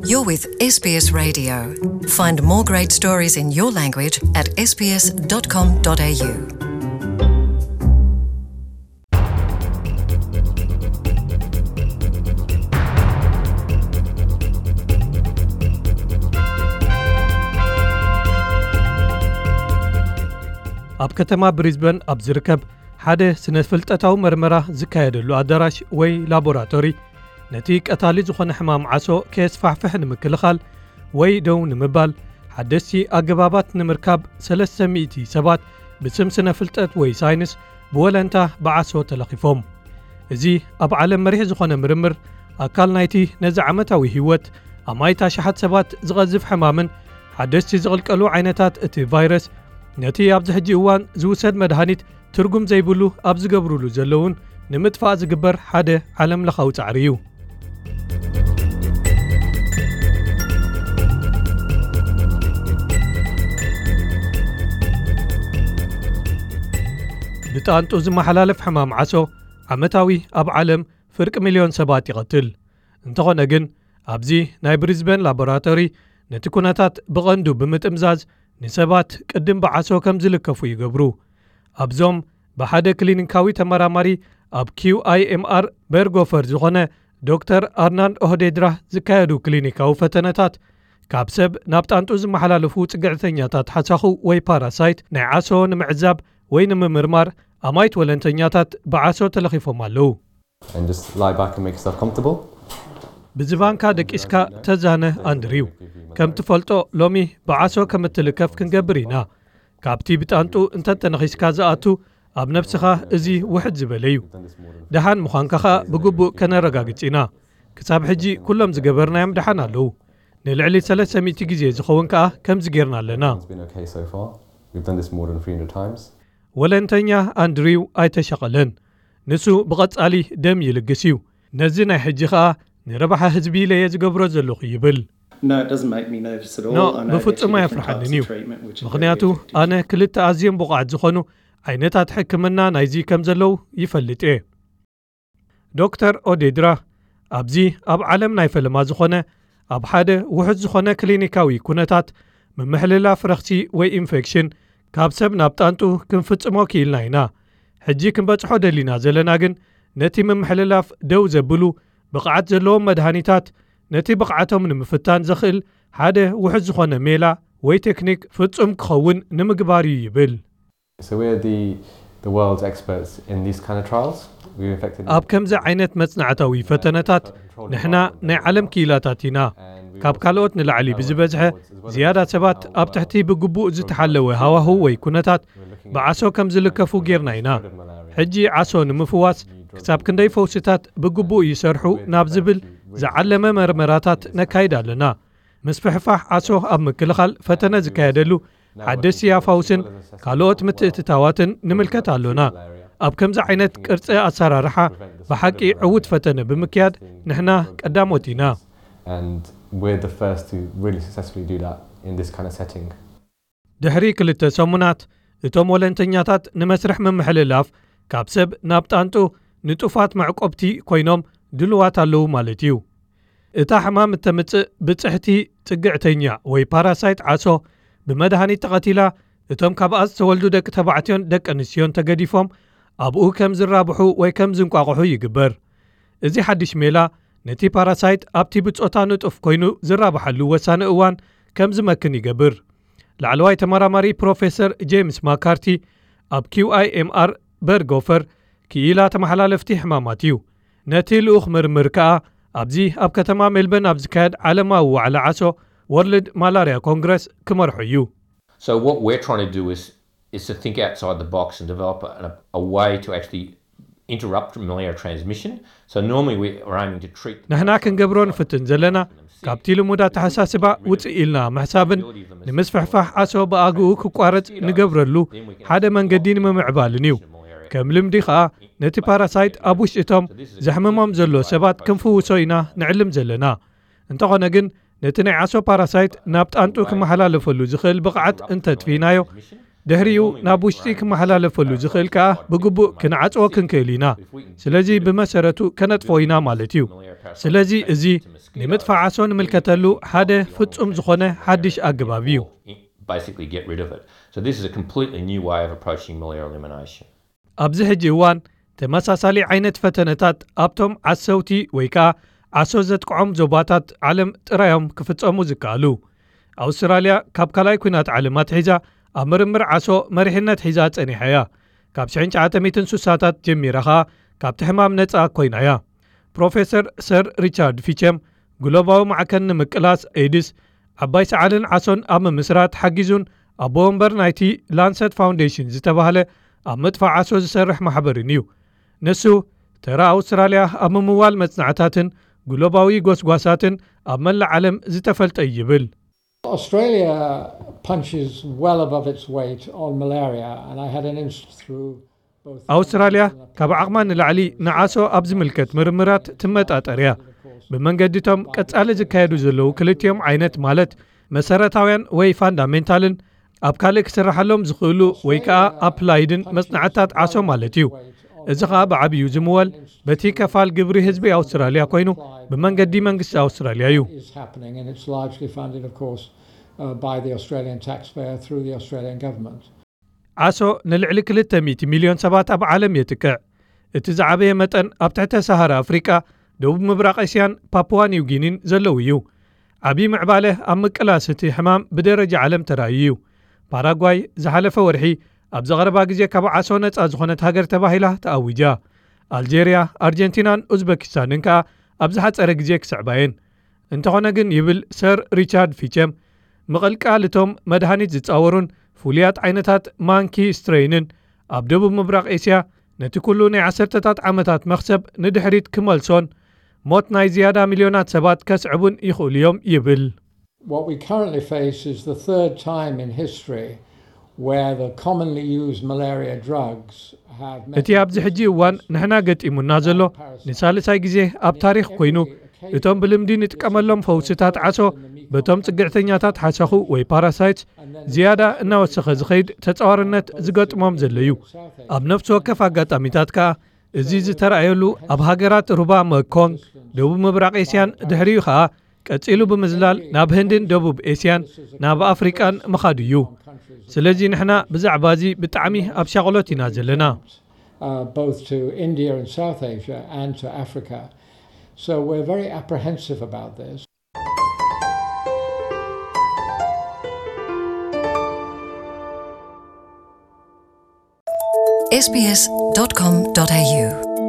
You're with S B S Radio. Find more great stories in your language at S B S dot com dot A U. ኣብ ከተማ ብሪዝበን ኣብ ዝርከብ ሓደ ስነ ፍልጠታዊ መርመራ ዝካየደሉ ኣዳራሽ ወይ ላቦራቶሪ፣ ነቲ ቀታሊ ዝኾነ ሕማም ዓሶ ከየስፋሕፍሕ ንምክልኻል ወይ ደው ንምባል ሓደስቲ ኣገባባት ንምርካብ፣ ሰለስተ ሚእቲ ሰባት ብስም ስነ ፍልጠት ወይ ሳይንስ ብወለንታ ብዓሶ ተለኺፎም። እዚ ኣብ ዓለም መሪሕ ዝኾነ ምርምር፣ ኣካል ናይቲ ነዚ ዓመታዊ ህይወት ኣማኢት ኣሽሓት ሰባት ዝቐዝፍ ሕማምን ሓደስቲ ዝቕልቀሉ ዓይነታት እቲ ቫይረስ፣ ነቲ ኣብዚ ሕጂ እዋን ዝውሰድ መድሃኒት ትርጉም ዘይብሉ ኣብ ዝገብሩሉ ዘለውን ንምጥፋእ ዝግበር ሓደ ዓለም ለኻዊ ጻዕሪ እዩ። ብጣንጡ ዝመሓላለፍ ሕማም ዓሶ ዓመታዊ ኣብ ዓለም ፍርቂ ሚልዮን ሰባት ይቐትል። እንተኾነ ግን፣ ኣብዚ ናይ ብሪዝበን ላቦራቶሪ ነቲ ኩነታት ብቐንዱ ብምጥምዛዝ፣ ንሰባት ቅድም ብዓሶ ከም ዝልከፉ ይገብሩ። ኣብዞም ብሓደ ክሊኒካዊ ተመራማሪ ኣብ ኪው ኣይ ኤም ኣር በርጎፈር ዝኾነ ዶክተር ኣርናንድ ኦህዴድራ ዝካየዱ ክሊኒካዊ ፈተነታት፣ ካብ ሰብ ናብ ጣንጡ ዝመሓላለፉ ጽግዕተኛታት ሓሳኹ ወይ ፓራሳይት ናይ ዓሶ ንምዕዛብ ወይ ንምምርማር፣ ኣማይት ወለንተኛታት ብዓሶ ተለኺፎም ኣለዉ። And just lie back and make yourself comfortable. ብዝባንካ ደቂስካ ተዛነ። ኣንድሪው፣ ከም ትፈልጦ፣ ሎሚ ብዓሶ ከም እትልከፍ ክንገብር ኢና። ካብቲ ብጣንጡ እንተ ተነኺስካ ዝኣቱ፣ ኣብ ነብስኻ እዚ ውሕድ ዝበለ እዩ። ደሓን ምዃንካ ኸኣ ብግቡእ ከነረጋግጽ ኢና። ክሳብ ሕጂ ኩሎም ዝገበርናዮም ደሓን ኣለዉ። ንልዕሊ ሰለስተ ሚእቲ ግዜ ዝኸውን ከኣ ከምዚ ጌርና ኣለና። It's been okay so far. We've done this more than three hundred times. ወለንተኛ ኣንድሪው ኣይተሸቐለን። ንሱ ብቐጻሊ ደም ይልግስ እዩ። ነዚ ናይ ሕጂ ኸኣ ንረብሓ ህዝቢ ኢለ እየ ዝገብሮ ዘለኹ ይብል። No, it doesn't make me nervous at all. ኖ፣ I know ብፍጹም ኣየፍርሓንን እዩ። Treatment, which is very ምኽንያቱ effective. ኣነ ክልተ ኣዝዮም ብቑዓት ዝኾኑ ዓይነታት ሕክምና ናይዚ ከም ዘለዉ ይፈልጥ እየ። ዶክተር ኦዴድራ፣ ኣብዚ ኣብ ዓለም ናይ ፈለማ ዝኾነ፣ ኣብ ሓደ ውሑድ ዝኾነ ክሊኒካዊ ኩነታት፣ ምምሕልላፍ ረኽሲ ወይ ኢንፌክሽን ካብ ሰብ ናብ ጣንጡ ክንፍጽሞ ክኢልና ኢና። ሕጂ ክንበጽሖ ደሊና ዘለና ግን፣ ነቲ ምምሕልላፍ ደው ዘብሉ ብቕዓት ዘለዎም መድሃኒታት፣ ነቲ ብቕዓቶም ንምፍታን ዘኽእል ሓደ ውሑድ ዝኾነ ሜላ ወይ ቴክኒክ ፍጹም ክኸውን ንምግባር እዩ ይብል። So we're the, the world's experts in these kind of trials. We've infected ኣብ ከምዚ ዓይነት መጽናዕታዊ ፈተነታት ንሕና ናይ ዓለም ክኢላታት ኢና። ካብ ካልኦት ንላዕሊ ብዝበዝሐ ዝያዳ ሰባት ኣብ ትሕቲ ብግቡእ ዝተሓለወ ሃዋህው ወይ ኩነታት ብዓሶ ከም ዝልከፉ ጌርና ኢና። ሕጂ ዓሶ ንምፍዋስ ክሳብ ክንደይ ፈውስታት ብግቡእ ይሰርሑ ናብ ዝብል ዝዓለመ መርመራታት ነካይድ ኣለና። ምስፍሕፋሕ ዓሶ ኣብ ምክልኻል ፈተነ ዝካየደሉ ሓደስቲ ኣፋውስን ካልኦት ምትእትታዋትን ንምልከት ኣሎና። ኣብ ከምዚ ዓይነት ቅርጺ ኣሰራርሓ ብሓቂ ዕዉት ፈተነ ብምክያድ ንሕና ቀዳሞት ኢና። And we're the first to really successfully do that in this kind of setting. ድሕሪ ክልተ ሰሙናት፣ እቶም ወለንተኛታት ንመስርሕ ምምሕልላፍ ካብ ሰብ ናብ ጣንጡ ንጡፋት መዕቆብቲ ኮይኖም ድሉዋት ኣለዉ ማለት እዩ። እታ ሕማም እተምጽእ ብጽሕቲ ጽግዕተኛ ወይ ፓራሳይት ዓሶ ብመድሃኒት ተቐቲላ፣ እቶም ካብኣ ዝተወልዱ ደቂ ተባዕትዮን ደቂ ኣንስትዮን ተገዲፎም ኣብኡ ከም ዝራብሑ ወይ ከም ዝንቋቑሑ ይግበር። እዚ ሓድሽ ሜላ ነቲ ፓራሳይት ኣብቲ ብጾታ ንጡፍ ኮይኑ ዝራብሓሉ ወሳኒ እዋን ከም ዝመክን ይገብር። ላዕለዋይ ተመራማሪ ፕሮፌሰር ጄምስ ማካርቲ ኣብ ኪው ኣይ ኤም ኣር በርጎፈር ክኢላ ተመሓላለፍቲ ሕማማት እዩ። ነቲ ልኡኽ ምርምር ከኣ ኣብዚ ኣብ ከተማ ሜልበርን ኣብ ዝካየድ ዓለማዊ ዋዕላ ዓሶ፣ ወርልድ ማላርያ ኮንግረስ፣ ክመርሖ እዩ። So what we're trying to do is, is to think outside the box and develop a, a way to actually interrupt malaria transmission. So normally we are aiming to treat the ንሕና ክንገብሮ ንፍትን ዘለና፣ ካብቲ ልሙድ ኣተሓሳስባ ውጽእ ኢልና ምሕሳብን ንምስፍሕፋሕ ዓሶ ብኣግኡ ክቋረጽ ንገብረሉ ሓደ መንገዲ ንምምዕባልን እዩ። ከም ልምዲ ኸኣ ነቲ ፓራሳይት ኣብ ውሽጢ እቶም ዘሕምሞም ዘሎ ሰባት ክንፍውሶ ኢና ንዕልም ዘለና። እንተኾነ ግን፣ ነቲ ናይ ዓሶ ፓራሳይት ናብ ጣንጡ ክመሓላለፈሉ ዝኽእል ብቕዓት እንተጥፊእናዮ፣ ድሕሪኡ ናብ ውሽጢ ክመሓላለፈሉ ዝኽእል ከኣ ብግቡእ ክንዓጽዎ ክንክእል ኢና። ስለዚ ብመሰረቱ ከነጥፎ ኢና ማለት እዩ። ስለዚ እዚ ንምጥፋእ ዓሶ ንምልከተሉ ሓደ ፍጹም ዝኾነ ሓድሽ ኣገባብ እዩ። Basically get rid of it. So this is a completely new way of approaching malaria elimination. ኣብዚ ሕጂ እዋን ተመሳሳሊ ዓይነት ፈተነታት ኣብቶም ዓሰውቲ ወይ ከኣ ዓሶ ዘጥቅዖም ዞባታት ዓለም ጥራዮም ክፍጸሙ ዝከኣሉ። ኣውስትራልያ ካብ ካልኣይ ኲናት ዓለም ኣትሒዛ ኣብ ምርምር ዓሶ መሪሕነት ሒዛ ጸኒሓ እያ። ካብ ሽሕን ትሽዓተ ሚእትን ስሳታት ጀሚራ ኸኣ ካብቲ ሕማም ነጻ ኮይና እያ። ፕሮፌሰር ሰር ሪቻርድ ፊቸም ግሎባዊ ማዕከን ንምቅላስ ኤድስ ዓባይ ሰዓልን ዓሶን ኣብ ምምስራት ሓጊዙን ኣቦ ወንበር ናይቲ ላንሰት ፋውንዴሽን ዝተባህለ ኣብ ምጥፋእ ዓሶ ዝሰርሕ ማሕበርን እዩ። ንሱ ተራ ኣውስትራልያ ኣብ ምምዋል መጽናዕታትን ግሎባዊ ጎስጓሳትን ኣብ መላእ ዓለም ዝተፈልጠ እዩ ይብል። Australia punches well above its weight on malaria, and I had an interest through both. ኣውስትራልያ ካብ ዓቕማ ንላዕሊ ንዓሶ ኣብ ዝምልከት ምርምራት ትመጣጠር እያ። ብመንገዲቶም ቀጻሊ ዝካየዱ ዘለዉ ክልቲኦም ዓይነት ማለት መሰረታውያን ወይ ፋንዳሜንታልን ኣብ ካልእ ክስርሓሎም ዝኽእሉ ወይ ከኣ ኣፕላይድን መጽናዕትታት ዓሶ ማለት እዩ። እዚ ኸኣ ብዓብዩ ዝምወል በቲ ከፋል ግብሪ ህዝቢ ኣውስትራልያ ኮይኑ ብመንገዲ መንግስቲ ኣውስትራልያ እዩ። Is happening, and it's largely funded, of course, uh, by the Australian taxpayer through the Australian government. ዓሶ ንልዕሊ ክልተ ሚእቲ ሚልዮን ሰባት ኣብ ዓለም የጥቅዕ። እቲ ዝዓበየ መጠን ኣብ ትሕተ ሰሃራ ኣፍሪቃ፣ ደቡብ ምብራቕ እስያን ፓፑዋ ኒው ጊኒን ዘለዉ እዩ። ዓብዪ ምዕባለ ኣብ ምቅላስ እቲ ሕማም ብደረጃ ዓለም ተራእዩ እዩ። ፓራጓይ ዝሓለፈ ወርሒ ኣብዚ ቐረባ ግዜ ካብ ዓሶ ነጻ ዝኾነት ሃገር ተባሂላ ተኣዊጃ። ኣልጀርያ፣ ኣርጀንቲናን ኡዝበኪስታንን ከኣ ኣብ ዝሓጸረ ግዜ ክስዕባ እየን። እንተኾነ ግን ይብል ሰር ሪቻርድ ፊቸም፣ ምቕልቃል እቶም መድሃኒት ዝጻወሩን ፍሉያት ዓይነታት ማንኪ ስትሬይንን ኣብ ደቡብ ምብራቕ ኤስያ ነቲ ኩሉ ናይ ዓሰርተታት ዓመታት መኽሰብ ንድሕሪት ክመልሶን ሞት ናይ ዝያዳ ሚልዮናት ሰባት ከስዕቡን ይኽእሉ እዮም ይብል። What we currently face is the third time in history where the commonly used malaria drugs have met እቲ ኣብዚ ሕጂ እዋን ንሕና ገጢሙና ዘሎ ንሳልሳይ ግዜ ኣብ ታሪኽ ኮይኑ፣ እቶም ብልምዲ ንጥቀመሎም ፈውስታት ዓሶ በቶም ጽግዕተኛታት ሓሰኹ ወይ ፓራሳይትስ ዝያዳ እናወሰኸ ዝኸይድ ተጻዋርነት ዝገጥሞም ዘሎ እዩ። ኣብ ነፍሲ ወከፍ ኣጋጣሚታት ከኣ እዚ ዝተራእየሉ ኣብ ሃገራት ሩባ መኮንግ፣ ደቡብ ምብራቕ ኤስያን ድሕሪኡ ከኣ ቀጺሉ ብምዝላል ናብ ህንድን ደቡብ ኤስያን ናብ ኣፍሪቃን ምኻዱ እዩ። ስለዚ ንሕና ብዛዕባ እዚ ብጣዕሚ ኣብ ሻቕሎት ኢና ዘለና። Uh, both to India and South Asia and to Africa. So we're very apprehensive about this. S B S dot com dot A U.